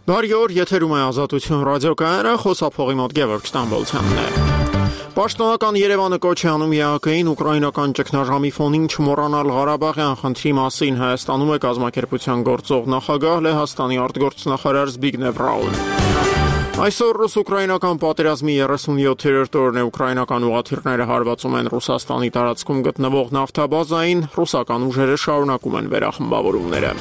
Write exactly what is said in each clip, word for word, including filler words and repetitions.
Բարի օր, եթերում է Ազատություն ռադիոկայանը, խոսափողի մոտ Գևորգ Ստամբոլցյանն է։ Պաշտոնական Երևանը կոչ է անում ԵԱՀԿ-ին ուկրաինական ճգնաժամի ֆոնին չմոռանալ Ղարաբաղյան խնդրի մասին։ Հայաստանում է կազմակերպության գործող նախագահ Լեհաստանի արտգործնախարար Զբիգնև Ռաուին։ Այսօր ռուս-ուկրաինական պատերազմի երեսունյոթերորդ օրն է, ուկրաինական ուղղաթիռները հարվածում են Ռուսաստանի տարածքում գտնվող նավթաբազային, ռուսական ուժերը շարունակում են վերախմբավորումները։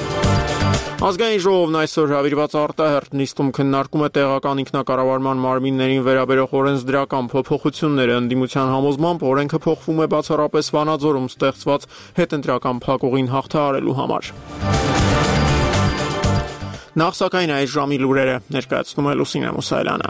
Ազգային ժողովն այսօր հրավիրված արտահերթ նիստում քննարկում է տեղական ինքնակառավարման մարմիններին վերաբերող օրենսդրական փոփոխությունները։ Ընդդիմության համոզմամբ օրենքը փոխվում է բացառապես Վանաձորում ստեղծված հետընտրական փակուղին հաղթահարելու համար։ Նախ սակայն այս ժամի լուրերը ներկայացնում է Լուսինե Մուսայելյանը։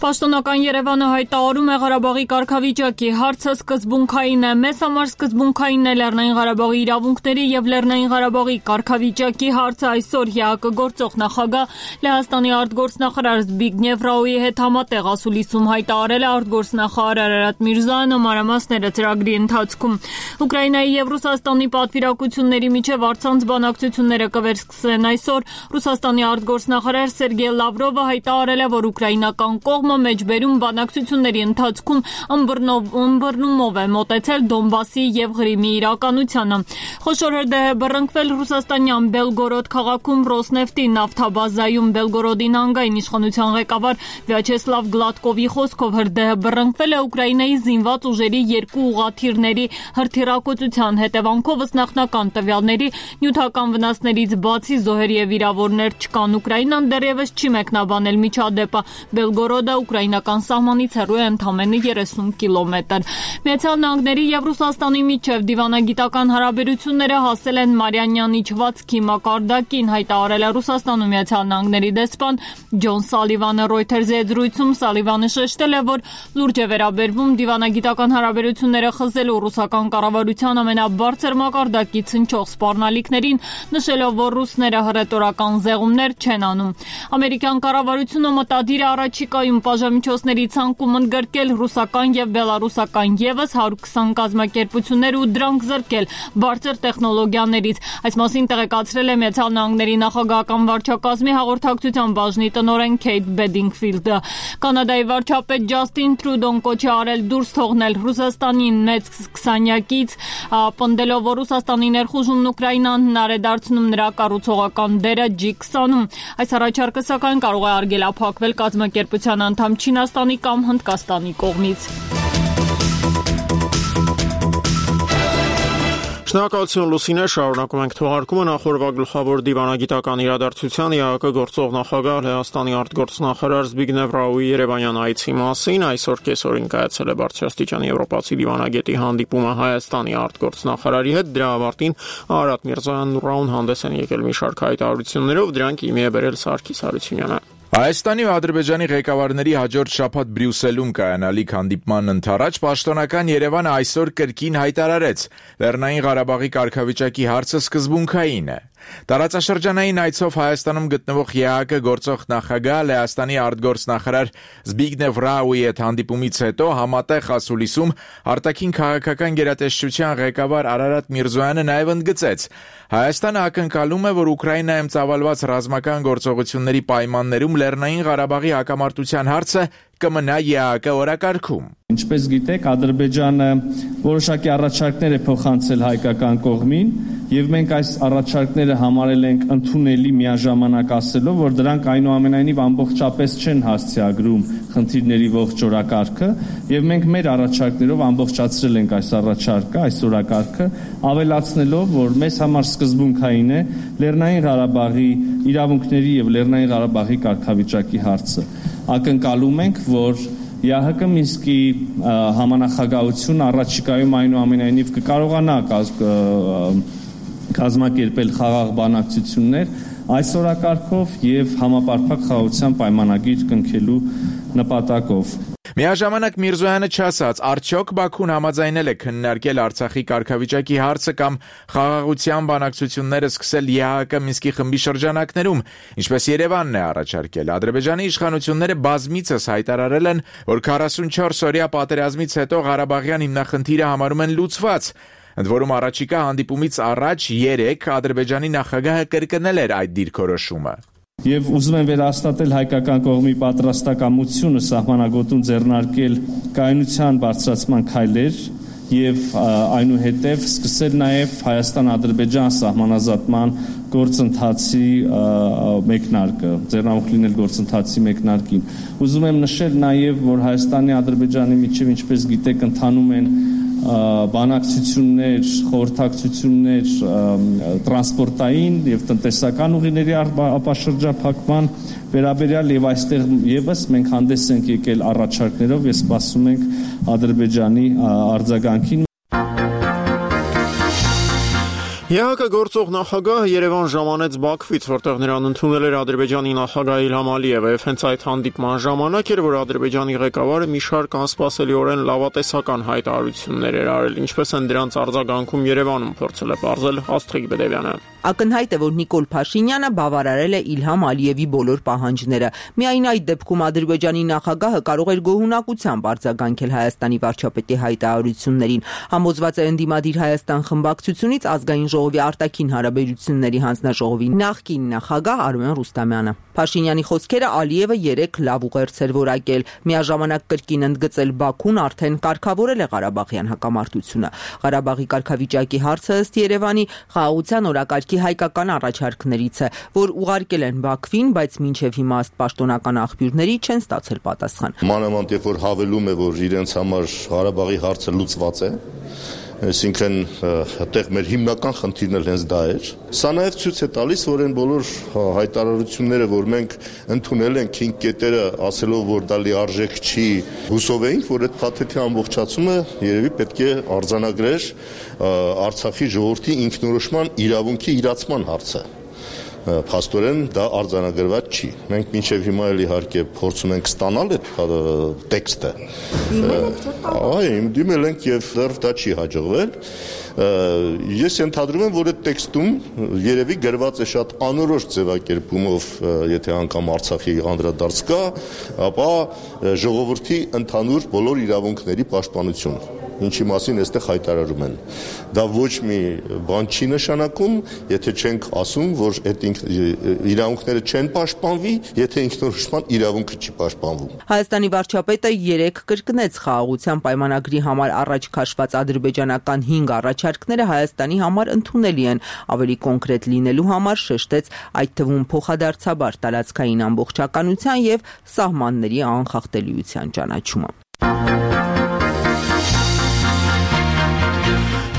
Պաշտոնական Երևանը հայտարարում է Ղարաբաղի կարգավիճակի հարցը սկզբունքային է։ Մեզ համար սկզբունքային է Լեռնային Ղարաբաղի իրավունքների եւ Լեռնային Ղարաբաղի կարգավիճակի հարցը։ Այսօր ԵԱՀԿ գործող նախագահ Լեհաստանի արտգործնախարար Զբիգնև Ռաուի հետ համատեղ ասուլիսում հայտարարել է արտգործնախարար Արարատ Միրզոյանը մանրամասները ծրագրի ընթացքում։ Ուկրաինայի եւ Ռուսաստանի պատվիրակությունների միջև առցանց բանակցությունները կվերսկսեն այսօր։ Ռուսաստանի արտգործնախարար Սերգեյ Լավրովը հայտարարել է, որ ուկրաինական կողմը մեջբերում բանակցությունների ընթացքում ըմբռնումով է մոտեցել Դոնբասի եւ Ղրիմի իրականությանը։ Խոշոր հրդեհ է բռնկվել ռուսաստանյան Բելգորոդ քաղաքում Ռոսնեֆտի նավթաբազայում։ Բելգորոդի նահանգային իշխանության ղեկավար Վյաչեսլավ Գլադկովի խոսքով հրդեհը բռնկվել է Ուկրաինայի զինված ուժերի երկու ուղղաթիռների հրթիռակոծության հետևանքով, ըստ նախնական տվյալների նյութական վնասներից բացի զոհեր եւ վիրավորներ չկան։ Ուկրաինան դեռևս չի մեկնաբանել միջադեպը։ Բելգորոդը ուկրաինական սահմանից հեռու է ընդամենը երեսուն կիլոմետր։ Միացյալ Նահանգների եւ Ռուսաստանի միջև դիվանագիտական հարաբերությունները հասել են Մարիանյան իջվածքի մակարդակին, հայտարարել է Ռուսաստանում Միացյալ Նահանգների դեսպան Ջոն Սալիվանը Reuters-ի հետ զրույցում։ Սալիվանը շեշտել է, որ լուրջ է վերաբերվում դիվանագիտական հարաբերությունները խզելու ռուսական կառավարության ամենաբարձր մակարդակից հնչող սպառնալիքներին, նշելով, որ ռուսները հռետորական զեղումներ չեն անում։ Ամերիկյան կառավարությունը մտադիր է առաջիկայում բաժամիջոցների ցանկում ընդգրկել ռուսական եւ բելարուսական եւս հարյուր քսան կազմակերպություններ ու դրանք զրկել բարձր տեխնոլոգիաներից։ Այս մասին տեղեկացրել է Միացյալ Նահանգների նախագահական վարչակազմի հաղորդակցության բաժնի տնօրեն Քեյթ Բեդինգֆիլդը։ Կանադայի վարչապետ Ջաստին Տրուդոն կոչ է արել դուրս թողնել Ռուսաստանին մեծ քսանյակից, պնդելով, որ Ռուսաստանի ներխուժումն Ուկրաինան հնար է դարձնում նրա կառուցողական դերը ջի քսանում։ Այս առաջարկը սակայն կարող է արգելափակվել կազմակերպության անդամ Չինաստանի կամ Հնդկաստանի կողմից։ Շնորհակալություն Լուսինե, շարունակում ենք թողարկումը նախորդ գլխավոր դիվանագիտական իրադարձության ԵԱՀԿ գործող նախագահ Լեհաստանի արտգործնախարար Զբիգնև Ռաուի երևանյան այցի մասին։ Այսօր կեսօրին կայացել է բարձրաստիճան եվրոպացի դիվանագետի հանդիպումը Հայաստանի արտգործնախարարի հետ։ Դրա ավարտին Արարատ Միրզոյանն ու Ռաուն հանդես են եկել մի շարք հայտարարություններով, դրանք իմի է բերել Սարգիս Հարությունյանը։ Հայաստանի ու Ադրբեջանի ղեկավարների հաջորդ շաբաթ Բրյուսելում կայանալիք հանդիպման ընթരാճ պաշտոնական Երևանը այսօր կրկին հայտարարեց՝ Լեռնային Ղարաբաղի կարգավիճակի հարցը սկզբունքային է։ Տարածաշրջանային այցով Հայաստանում գտնվող ԵԱՀԿ գործող նախագահ Լեհաստանի արտգործնախարար Զբիգնև Ռաուի հետ հանդիպումից հետո համատեղ ասուլիսում արտաքին քաղաքական գերատեսչության ղեկավար Արարատ Միրզոյանը նաև ընդգծեց. Հայաստանը ակնկալում է, որ Ուկրաինայում ծավալված ռազմական գործողությունների պայմաններում Լեռնային Ղարաբաղի հակամարտության հարցը կմնա ԵԱՀԿ օրակարգում։ Ինչպես գիտեք, Ադրբեջանը որոշակի առաջարկներ է փոխանցել հայկական կողմին, եւ մենք այս առաջարկները համարել ենք ընդունելի միաժամանակ ասելով, որ դրանք այնուամենայնիվ ամբողջապես չեն հասցեագրում խնդիրների ողջ օրակարգը, եւ մենք մեր առաջարկներով ամբողջացրել ենք այս առաջարկը, այս օրակարգը, ավելացնելով, որ մեզ համար սկզբունքային է Լեռնային Ղարաբաղի իրավունքների եւ Լեռնային Ղարաբաղի կարգավիճակի հարցը։ Ակնկալում ենք, որ ԵԱՀԿ Մինսկի համանախագահությունը առաջիկայում այնուամենայնիվ կկարողանա կազմակերպել խաղաղ բանակցություններ այս օրակարգով եւ համապարփակ խաղաղության պայմանագիր կնքելու նպատակով։ Միաժամանակ Միրզոյանը չասաց, արդյոք Բաքուն համաձայնել է քննարկել Արցախի կարգավիճակի հարցը կամ խաղաղության բանակցությունները սկսել Է Հ Կ Մինսկի խմբի շրջանակներում, ինչպես Երևանն է առաջարկել։ Ադրբեջանի իշխանությունները բազմիցս հայտարարել են, որ քառասունչորս օրյա պատերազմից հետո Ղարաբաղյան հիմնախնդիրը համարում են լուծված։ Ընդ որում առաջիկա հանդիպումից առաջ երեկ Ադրբեջանի նախագահը կրկնել էր այդ դիրքորոշումը։ Եվ ուզում եմ վերահաստատել հայկական կողմի պատրաստակամությունը սահմանագոտում ձեռնարկել կայունության բարձրացման քայլեր եւ այնուհետև սկսել նաեւ Հայաստան-Ադրբեջան սահմանազատման գործընթացի մեկնարկը, ձեռնամուխ լինել գործընթացի մեկնարկին։ Ուզում եմ նշել նաեւ, որ Հայաստանի Ադրբեջանի միջև, ինչպես գիտեք, ընթանում են բանակցություններ, խորհրդակցություններ տրանսպորտային եւ տնտեսական ուղիների ապաշրջափակման վերաբերյալ եւ այստեղ եւս մենք հանդես ենք եկել առաջարկներով եւ սպասում ենք Ադրբեջանի արձագանքին։ Է Հ Կ գործող նախագահը Երևան ժամանեց Բաքվից, որտեղ նրան ընդունել էր Ադրբեջանի նախագահ Իլհամ Ալիևը, եւ հենց այդ հանդիպման ժամանակ էր, որ Ադրբեջանի ղեկավարը մի շարք անսպասելիորեն լավատեսական հայտարարություններ էր արել, ինչպես են դրանց արձագանքում Երևանում փորձել է պարզել Աստղիկ Բեդևյանը։ Ակնհայտ է, որ Նիկոլ Փաշինյանը բավարարել է Իլհամ Ալիևի բոլոր պահանջները։ Միայն այդ դեպքում Ադրբեջանի նախագահը կարող էր գոհունակությամբ արձագանքել Հայաստանի վարչապետի հայտարարություններին։ Համոզված է ընդդիմադիր Հայաստան խմբակցությունից ազգային ժողովի արտաքին հարաբերությունների հանձնաժողովի նախկին նախագահ Արմեն Ռուստամյանը։ Փաշինյանի խոսքերը Ալիևը երեք լավ ուղերձ էր որակել։ Միաժամանակ կրկին ընդգծել Բաքուն արդեն կարգավորել է Ղարաբաղյան հակամարտությունը։ Ղարաբաղի կարգավիճակի հարցը ըստ Երևանի խաղաղության օրակարգի հայկական առաջարկներից է, որ ուղարկել են Բաքվին, բայց մինչև հիմա ըստ պաշտոնական աղբյուրների չեն ստացել պատասխան։ Մանավանդ երբ որ հավելում է, որ իրենց համար Ղարաբաղի հարցը լուծված է, այսինքն այդտեղ մեր հիմնական խնդիրն էլ հենց դա էր։ Սա նաև ցույց է տալիս, որ այն բոլոր հայտարարությունները, որ մենք ընդունել ենք հինգ կետերը, ասելով, որ դա լիարժեք չի, հուսով էինք, որ այդ փաթեթի ամբողջացումը երևի պետք է արձանագրեր Արցախի ժողովրդի ինքնորոշման իրավունքի իրացման հարցը։ Փաստորեն դա արձանագրված չի։ Մենք մինչև հիմա էլ իհարկե փորձում ենք ստանալ այդ տեքստը։ Այո, դիմել ենք եւ դեռ դա չի հաջողվել։ Ես ենթադրում եմ, որ այդ տեքստում երևի գրված է շատ անորոշ ձևակերպումով, եթե անգամ Արցախի անդրադարձ կա, ապա ժողովրդի ընդհանուր բոլոր իրավունքների պաշտպանություն, ինչի մասին այստեղ հայտարարում են։ Դա ոչ մի բան չի նշանակում, եթե չենք ասում, որ այդ իրավունքները չեն պաշտպանվի, եթե ինքնորոշման իրավունքը չի պաշտպանվում։ Հայաստանի վարչապետը երեք կրկնեց խաղաղության պայմանագրի համար առաջ քաշված ադրբեջանական հինգ առաջարկները Հայաստանի համար ընդունելի են, ավելի կոնկրետ լինելու համար շեշտեց այդ թվում փոխադարձաբար տարածքային ամբողջականության եւ սահմանների անխախտելիության ճանաչումը։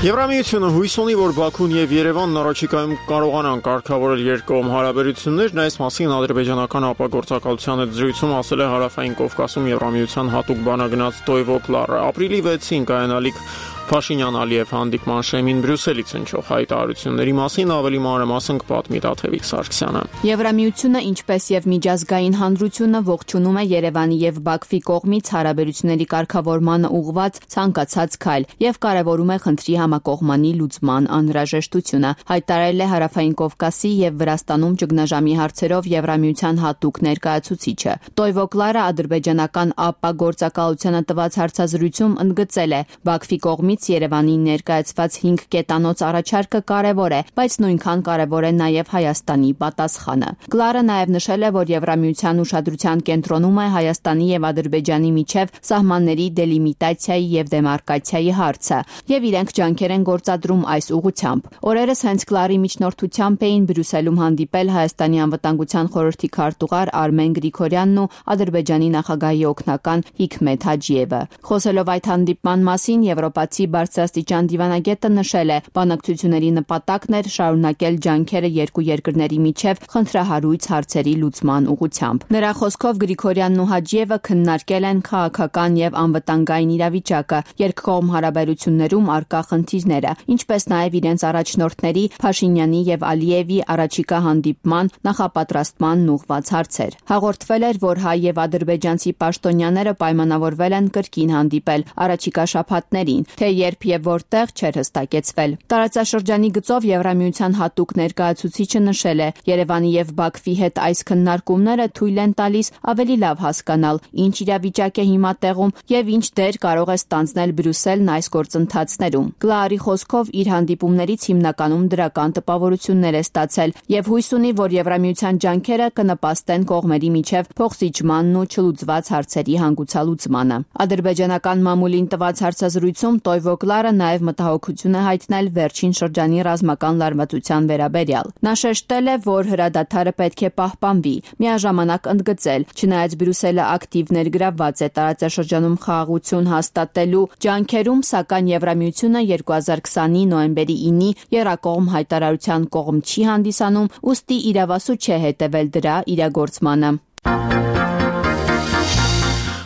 Եվրամիությունը հույս ունի, որ Բաքուն եւ Երևանն առաջիկայում կարողանան կարգավորել երկկողմ հարաբերություններն, այս մասին ադրբեջանական ապագործակալության հետ զրույցում ասել է Հարավային Կովկասում Եվրամիության հատուկ բանագնաց Տոյվո Կլարը։ Ապրիլի վեցին կայանալիք Փաշինյան-Ալիև հանդիպման շեմին Բրյուսելից հնչող հայտարարությունների մասին ավելի մանրամասն կպատմի Տաթևիկ Սարգսյանը։ Եվրամիությունը, ինչպես եւ միջազգային հանրությունը ողջունում է Երևանի եւ Բաքվի կողմից հարաբերությունների կարգավորմանը ուղղված ցանկացած քայլ եւ կարեւորում է խնդրի համակողմանի լուծման անհրաժեշտությունը, հայտարարել է Հարավային Կովկասի եւ Վրաստանում ճգնաժամի հարցերով Եվրամիության հատուկ ներկայացուցիչը։ Տոյվո Կլարը ադրբեջանական ապագործակալությանը տված հարցազրույցում ընդգծել է Բաքվի կողմից Երևանին ներկայացված հինգ կետանոց առաջարկը կարևոր է, բայց նույնքան կարևոր է նաև Հայաստանի պատասխանը։ Կլարը նաև նշել է, որ Եվրամիության ուշադրության կենտրոնում է Հայաստանի եւ Ադրբեջանի միջև սահմանների դելիմիտացիայի եւ դեմարկացիայի հարցը, եւ իրենք ջանքեր են գործադրում այս ուղղությամբ։ Օրերս հենց Կլարի միջնորդությամբ էին Բրյուսելում հանդիպել Հայաստանի անվտանգության խորհրդի քարտուղար Արմեն Գրիգորյանն ու Ադրբեջանի նախագահի օգնական Հիկմեթ Հաջիևը։ Խոսելով այդ հանդիպման մասին, եվրոպացի կողմից բարձրաստիճան դիվանագետը նշել է, բանակցությունների նպատակն էր շարունակել ջանքերը երկու երկրների միջև խնդրահարույց հարցերի լուծման ուղղությամբ։ Նրա խոսքով Գրիգորյանն ու Հաջիևը քննարկել են քաղաքական եւ անվտանգային իրավիճակը, երկկողմ հարաբերություններում առկա խնդիրները, ինչպես նաեւ իրենց առաջնորդների Փաշինյանի եւ Ալիևի առաջիկա հանդիպման նախապատրաստման ուղղված հարցեր։ Հաղորդվել էր, որ հայ եւ ադրբեջանցի պաշտոնյաները պայմանավորվել են կրկին հանդիպել առաջիկա շաբաթներին, թե երբ եւ որտեղ չէր հստակեցվել։ Տարածաշրջանի գծով Եվրամիության հատուկ ներկայացուցիչը նշել է, Երևանի եւ Բաքվի հետ այս քննարկումները թույլ են տալիս ավելի լավ հասկանալ, ինչ իրավիճակ է հիմա տեղում եւ ինչ դեր կարող է ստանձնել Բրյուսելն այս գործընթացներում։ Գլարի խոսքով իր հանդիպումներից հիմնականում դրական տպավորություններ է ստացել եւ հույս ունի, որ Եվրամիության ջանքերը կնպաստեն կողմերի միջև փոխզիջմանն ու չլուծված հարցերի հանգուցալուծմանը։ Ադրբեջանական մամուլին տված հարցազրույցում Տոյվո Գլարը նաեւ մտահոգություն է հայտնել վերջին շրջանի ռազմական լարվածության վերաբերյալ։ Նա շեշտել է, որ հրադադարը պետք է պահպանվի, միաժամանակ ընդգծել, չնայած Բրյուսելը ակտիվ ներգրավված է տարածաշրջանում խաղաղություն հաստատելու ջանքերում, սակայն Եվրամիությունը երկու հազար քսանի նոյեմբերի ինի եռակողմ հայտարարության կողմ չի հանդիսանում, ուստի իրավասու չէ հետևել դրա իրագործմանը։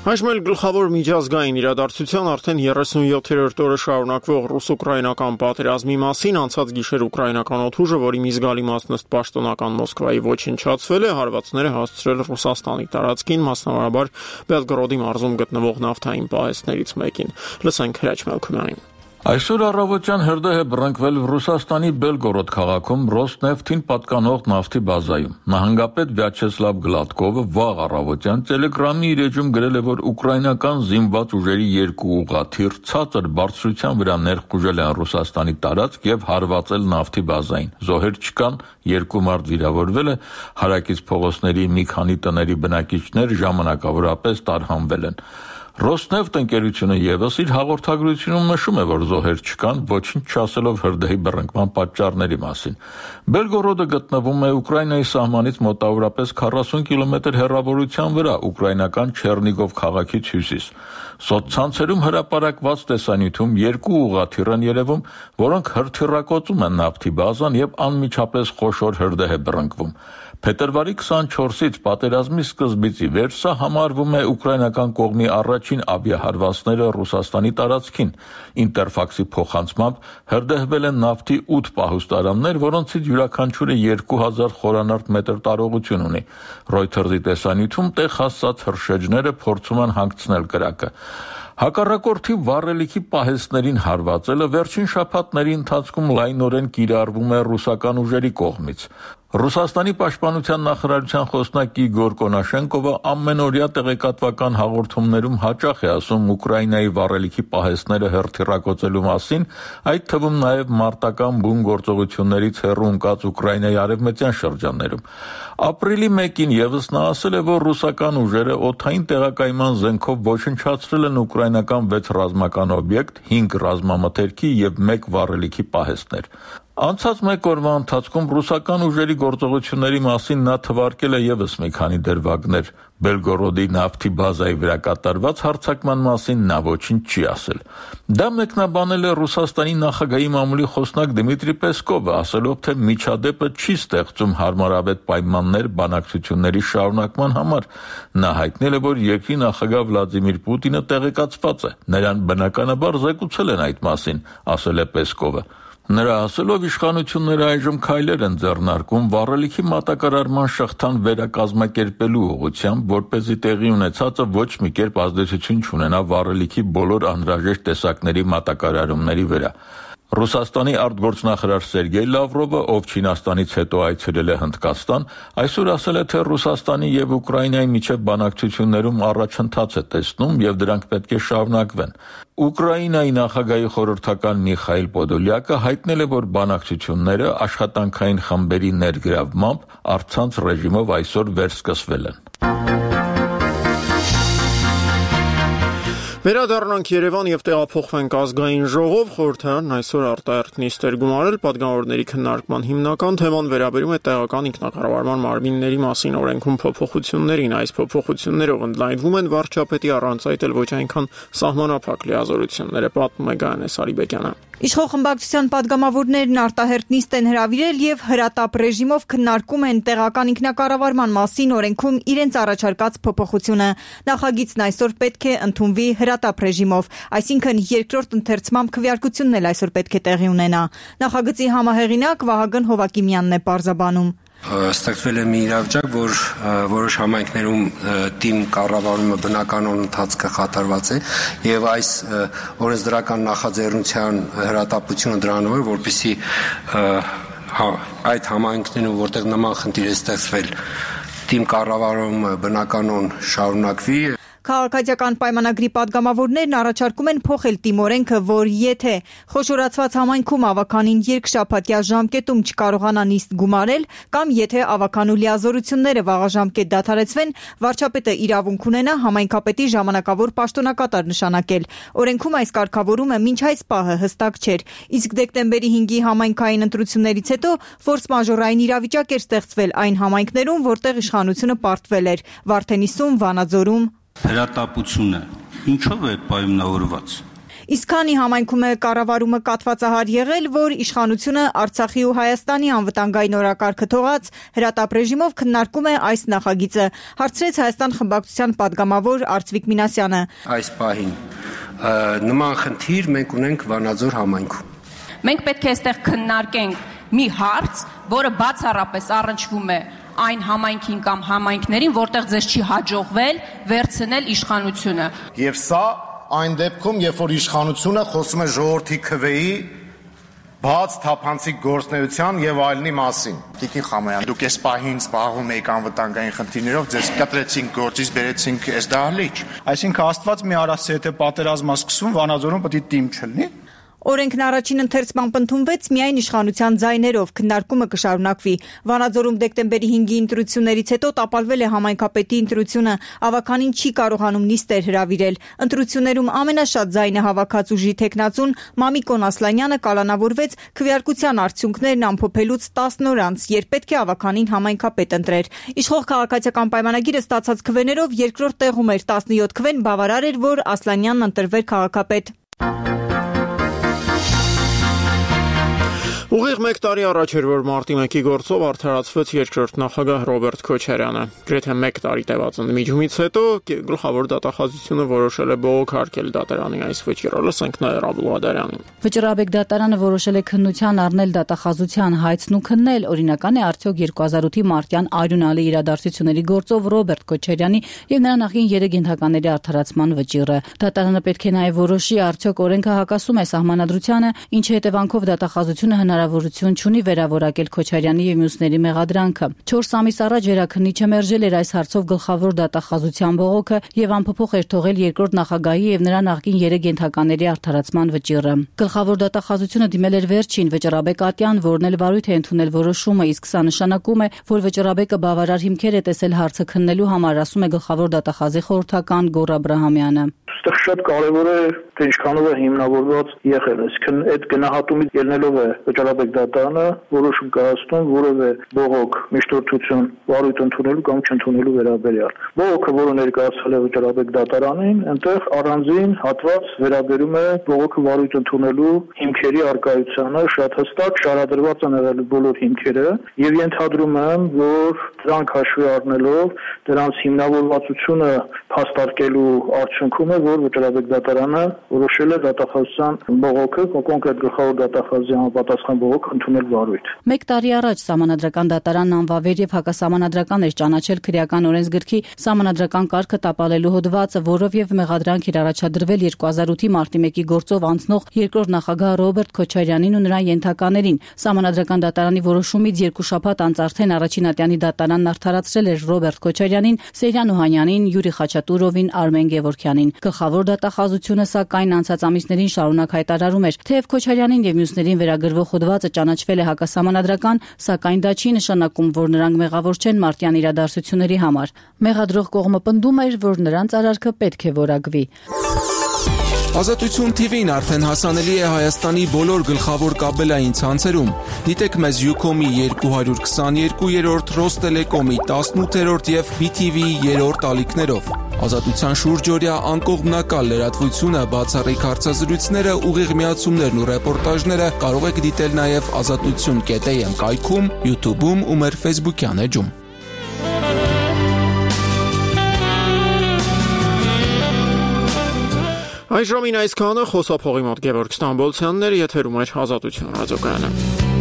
Այժմ էլ գլխավոր միջազգային իրադարձության արդեն երեսունյոթերորդ օրը շարունակվող ռուս-ուկրաինական պատերազմի մասին անցած գիշեր ուկրաինական օդուժը, որի մի զգալի մասն ըստ պաշտոնական Մոսկվայի ոչնչացվել է, հարվածներ է հասցրել Ռուսաստանի տարածքին, մասնավորաբար Բելգորոդի մարզում գտնվող նավթային պահեստներից մեկին։ Լսենք Հրաչ Մելքումյանին։ Այսօր առավոտյան հրդեհ է բռնկվել Ռուսաստանի Բելգորոդ քաղաքում Ռոսնեֆթին պատկանող նավթի բազայում։ Նահանգապետ Վյաչեսլավ Գլադկովը վաղ առավոտյան Տելեգրամի իր էջում գրել է, որ ուկրաինական զինված ուժերի երկու ուղղաթիռ ցածր բարձրության վրա ներխուժել են Ռուսաստանի տարածք եւ հարվածել նավթի բազային։ Զոհեր չկան, երկու մարդ վիրավորվել է, հարակից փողոցների մի քանի տների բնակիչներ ժամանակավորապես տարհանվել են։ Ռոսնեֆտ ընկերությունը եւս իր հաղորդագրությունում նշում է, որ զոհեր չկան, ոչինչ չասելով հրդեհի բռնկման պատճառների մասին։ Բելգորոդը գտնվում է Ուկրաինայի սահմանից մոտավորապես քառասուն կիլոմետր հեռավորության վրա, ուկրաինական Չեռնիգով քաղաքից հյուսիս։ Սոցցանցերում հրապարակված տեսանյութում երկու ուղղաթիռ են երևում, որոնք հրթիռակոծում են նավթի բազան եւ անմիջապես խոշոր հրդեհ է բռնկվում։ Փետրվարի քսանչորսից պատերազմի սկզբից ի վեր սա համարվում է ուկրաինական կողմի առաջին ավիահարվածները Ռուսաստանի տարածքին։ Ինտերֆաքսի փոխանցմամբ հրդեհվել են նավթի ութ պահուստարաններ, որոնցից յուրաքանչյուրը երկու հազար խորանարդ մետր տարողություն ունի։ Ռոյթերզի տեսանյութում տեղ հասած հրշեջները փորձում են հանգցնել կրակը։ Հակառակորդի վառելիքի պահեստներին հարվածելը վերջին շաբաթների ընթացքում լայնորեն կիրառվում է ռուսական ուժերի կողմից։ Ռուսաստանի պաշտպանության նախարարության խոսնակ Իգոր Կոնաշենկովը ամենօրյա տեղեկատվական հաղորդումներում հաճախ է ասում Ուկրաինայի վառելիքի պահեստները հրթիռակոծելու մասին, այդ թվում նաև մարտական բուն գործողություններից հեռու ընկած Ուկրաինայի արևմտյան շրջաններում։ Ապրիլի մեկին եւս նա ասել է, որ ռուսական ուժերը օդային տեղակայման զենքով ոչնչացրել են ուկրաինական վեց ռազմական օբյեկտ, հինգ ռազմամթերքի եւ մեկ վառելիքի պահեստներ։ Անցած մեկ օրվա ընթացքում ռուսական ուժերի գործողությունների մասին նա թվարկել է եւս մի քանի դրվագներ։ Բելգորոդի նավթի բազայի վրա կատարված հարձակման մասին նա ոչինչ չի ասել։ Դա մեկնաբանել է Ռուսաստանի նախագահի մամուլի խոսնակ Դմիտրի Պեսկովը, ասելով, թե միջադեպը չի ստեղծում հարմարավետ պայմաններ բանակցությունների շարունակման համար։ Նա հայտնել է, որ երկրի նախագահ Վլադիմիր Պուտինը տեղեկացված է։ Նրան բնականաբար զեկուցել են այդ մասին, ասել է Պեսկովը։ Նրա ասելով իշխանությունները այժմ քայլեր են ձեռնարկում վառելիքի մատակարարման շղթան վերակազմակերպելու ուղղությամբ, որպեսզի տեղի ունեցածը ոչ մի կերպ ազդեցություն չունենա վառելիքի բոլոր անհրաժեշտ տեսակների մատակարարումների վրա։ Ռուսաստանի արտգործնախարար Սերգեյ Լավրովը, ով Չինաստանից հետո այցելել է Հնդկաստան, այսօր ասել է, թե Ռուսաստանի եւ Ուկրաինայի միջև բանակցություններում առաջընթաց է տեսնում եւ դրանք պետք է շարունակվեն։ Ուկրաինայի նախագահի խորհրդական Միխայիլ Պոդոլյակը հայտնել է, որ բանակցությունները աշխատանքային խմբերի ներգրավմամբ առցանց ռեժիմով այսօր վերսկսվել են։ Վերադառնանք Երևան եւ տեղափոխվենք ազգային ժողով, խորհրդարանն այսօր արտահերթ նիստ էր գումարել, պատգամավորների քննարկման հիմնական թեման վերաբերում է տեղական ինքնակառավարման մարմինների մասին օրենքում փոփոխություններին։ Այս փոփոխություններով ընդլայնվում են վարչապետի առանց այդ էլ ոչ այնքան սահմանափակ լիազորությունները, պատմում է Գայանե Սարիբեկյանը։ Իշխող խմբակցության պատգամավորներն արտահերթ նիստ են հրավիրել եւ հրատապ ռեժիմով քննարկում են տեղական ինքնակառավարման մասին օրենքում իրենց առաջարկած փոփոխությունը։ Նախագիծն այսօր պետք է ընդունվի հրատապ ռեժիմով, այսինքն երկրորդ ընթերցմամբ քվեարկությունն էլ այսօր պետք է տեղի ունենա։ Նախագծի համահեղինակ Վահագն Հովակիմյանն է պարզաբանում։ Ստեղծվել է մի իրավիճակ, որ որոշ համայնքներում թիմ կառավարումը բնականon ընթացքը խաթարված է եւ այս օրենսդրական նախաձեռնության հրատապությունը դրանով է, որպեսզի այդ համայնքներում, որտեղ նման խնդիր է ստեղծվել, թիմ կառավարումը բնականon շարունակվի։ Քաղաքացիական պայմանագրի պատգամավորներն առաջարկում են փոխել թիմօրենքը, որ եթե խոշորացված համայնքում ավականին երկշաբաթյա ժամկետում չկարողանա նիստ գումարել, կամ եթե ավականու լիազորությունները վաղաժամկետ դադարեցվեն, վարչապետը իրավունք ունենա համայնքապետի ժամանակավոր պաշտոնակատար նշանակել։ Օրենքում այս կարգավորումը մինչ այս պահը հստակ չէր, իսկ դեկտեմբերի հինգի համայնքային ընտրություններից հետո ֆորս մաժորային իրավիճակ էր ստեղծվել այն համայնքներում, որտեղ իշխանությունը պարտվել էր՝ Վարդենիսում, Վանաձորում։ Հրատապությունը ինչով է պայմանավորված։ Իսկ քանի համայնքում է կառավարումը կաթվածահար եղել, որ իշխանությունը Արցախի ու Հայաստանի անվտանգային օրակարգը թողած հրատապ ռեժիմով քննարկում է այս նախագիծը, հարցրեց Հայաստան խմբակցության պատգամավոր Արծվիկ Մինասյանը։ Այս պահին նման խնդիր մենք ունենք Վանաձոր համայնքում։ Մենք պետք է այստեղ քննարկենք մի հարց, որը բացառապես առնչվում է այն համայնքին կամ համայնքներին, որտեղ ձեզ չի հաջողվել վերցնել իշխանությունը։ Եվ սա այն դեպքում, երբ որ իշխանությունը խոսում է ժողովրդի քվեի բաց թափանցիկ գործնեության եւ այլնի մասին։ Տիկին Խամոյան, դուք այս պահին զբաղվում եք անվտանգային խնդիրներով, ձեզ կտրեցինք գործից, բերեցինք այս դահլիճ։ Այսինքն Աստված մի արասի եթե պատերազմը սկսվում, Վանաձորում պետք է թիմ չլինի։ Օրենքն առաջին ընթերցմամբ ընդունվեց միայն իշխանության ձայներով, քննարկումը կշարունակվի։ Վանաձորում դեկտեմբերի հինգի ընտրություններից հետո տապալվել է համայնքապետի ընտրությունը, ավականին չի կարողանում նիստեր հրավիրել։ Ընտրություններում ամենաշատ ձայնը հավաքած ուժի թեկնածուն Մամիկոն Ասլանյանը կալանավորվեց քվեարկության արդյունքներն ամփոփելուց տասն օր անց, երբ պետք է ավականին համայնքապետ ընտրեր։ Իշխող քաղաքացիական պայմանագիրը ստացած քվեներով երկրորդ տեղում էր, տասնյոթ քվեն բավարար էր, որ Ասլանյանն ընտրվեր քաղաքապետ։ Ուղիղ մեկ տարի առաջ էր, որ մարտի մեկի գործով արդարացվեց երկրորդ նախագահ Ռոբերտ Քոչարյանը։ Գրեթե մեկ տարի տևած ընդմիջումից հետո գլխավոր դատախազությունը որոշել է բողոքարկել դատարանի այս վճիռը, լսենք Նաիրա Բլուադարյանին։ Վճռաբեկ դատարանը որոշել է քննության առնել դատախազության հայցն ու քննել, օրինական է արդյոք երկու հազար ութի մարտյան արյունալի իրադարձությունների գործով Ռոբերտ Քոչարյանի եւ նրա նախկին երեք ենթակաների արդարացման վճիռը։ Դատարանը պետք է նաեւ որոշի արդյոք օրենքը հակասում է սահմանադրությանը, ինչի հետևանքով դատախազությունը հնարավորություն չունի վերավորակել Քոչարյանի եւ մյուսների մեղադրանքը։ չորս ամիս առաջ վերաքննիչը մերժել էր այս հարցով գլխավոր դատախազության բողոքը եւ անփոփոխ էր թողել երկրորդ նախագահի եւ նրա նախկին երեք ենթակաների արդարացման վճիռը։ Գլխավոր դատախազությունը դիմել էր վերջին Վճռաբեկ Ատյան, որն էլ վարույթ է ընդունել որոշումը, իսկ սա նշանակում է, որ Վճռաբեկը բավարար հիմքեր է տեսել հարցը քննելու համար, ասում է գլխավոր դատախազի խորհրդական Գոռ Աբրահամյանը։ Այստեղ շատ կարևոր է, թե ինչքանով է հիմնավորված եղել, այսինքն այդ գնահատումից ելնելով է Վճռաբեկ դատարանը որոշում կայացնում որևէ բողոք, միշտորդություն, վարույթ ընդունելու կամ չընդունելու վերաբերյալ։ Բողոքը, որը ներկայացվել է Վճռաբեկ դատարանին, այնտեղ առանձին հատված վերաբերում է բողոքը վարույթ ընդունելու հիմքերի առկայությանը, շատ հստակ շարադրված են եղել բոլոր հիմքերը եւ ենթադրում եմ, որ դրանք հաշվի առնելով դրանց հիմնավորվածությունը փաստարկելու արդյունքում է, որ Վճռաբեկ դատարանը որոշել է դատախազության բողոքը, կոնկրետ գլխավոր դատախազի համապատասխան բողոք ընդունել վարույթ։ Մեկ տարի առաջ Սահմանադրական դատարանն անվավեր եւ հակասահմանադրական էր ճանաչել քրեական օրենսգրքի սահմանադրական կարգը տապալելու հոդվածը, որով եւ մեղադրանք էր առաջադրվել երկու հազար ութի մարտի մեկի գործով անցնող երկրորդ նախագահ Ռոբերտ Քոչարյանին ու նրա ենթականերին։ Սահմանադրական դատարանի որոշումից երկու շաբաթ անց արդեն առաջին ատյանի դատարանն արդարացրել էր Ռոբերտ Քոչարյանին, Սեյրան Օհանյանին, Յուրի Խաչատուրովին, Արմեն Գևորգյանին։ Գլխավոր դատախազությունը սակայն անցած ամիսներին շարունակ հայտարարում էր, թեև Քոչարյանին եւ մյուսներին վերագրվող հոդվածը ճանաչվել է հակասահմանադրական, սակայն դա չի նշանակում, որ նրանք մեղավոր չեն մարտյան իրադարձությունների համար։ Մեղադրող կողմը պնդում էր, որ նրանց արարքը պետք է որակվի։ Ազատություն թի վին արդեն հասանելի է Հայաստանի բոլոր գլխավոր կաբելային ցանցերում։ Դիտեք մեզ Ucom-ի երկու հարյուր քսաներկուերորդ, Ռոստելեկոմի տասնութերորդ եւ բի թի վիի երրորդ ալիքներով։ Ազատության շուրջօրյա անկողմնակալ լրատվությունը, բացառիկ հարցազրույցները, ուղիղ միացումներն ու ռեպորտաժները կարող եք դիտել նաեւ ազատություն կետ էյ էմ կայքում, YouTube-ում ու մեր Facebook-յան էջում։ Այժմին այսքանը, խոսափողի մոտ Գևորգ Ստամբոլցյանն էր, եթերում էր Ազատություն ռադիոկայանը։